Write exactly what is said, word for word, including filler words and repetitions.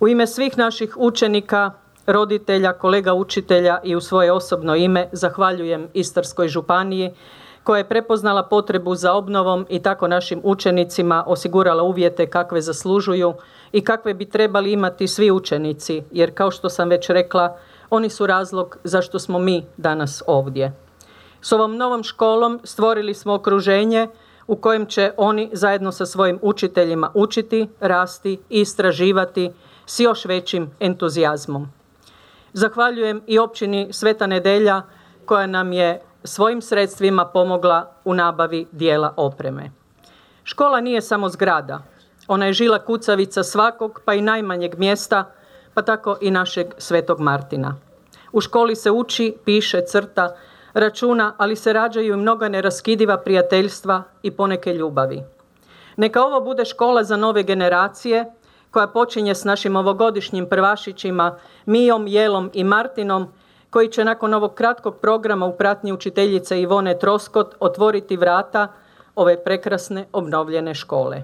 U ime svih naših učenika, roditelja, kolega učitelja i u svoje osobno ime zahvaljujem Istarskoj županiji koja je prepoznala potrebu za obnovom i tako našim učenicima osigurala uvjete kakve zaslužuju i kakve bi trebali imati svi učenici, jer kao što sam već rekla, oni su razlog zašto smo mi danas ovdje. S ovom novom školom stvorili smo okruženje u kojem će oni zajedno sa svojim učiteljima učiti, rasti i istraživati s još većim entuzijazmom. Zahvaljujem i općini Sveta Nedelja koja nam je svojim sredstvima pomogla u nabavi dijela opreme. Škola nije samo zgrada, ona je žila kucavica svakog pa i najmanjeg mjesta, pa tako i našeg Svetog Martina. U školi se uči, piše, crta, računa, ali se rađaju i mnoga neraskidiva prijateljstva i poneke ljubavi. Neka ovo bude škola za nove generacije koja počinje s našim ovogodišnjim prvašićima Mijom, Jelom i Martinom, koji će nakon ovog kratkog programa u pratnji učiteljice Ivone Troskot otvoriti vrata ove prekrasne obnovljene škole.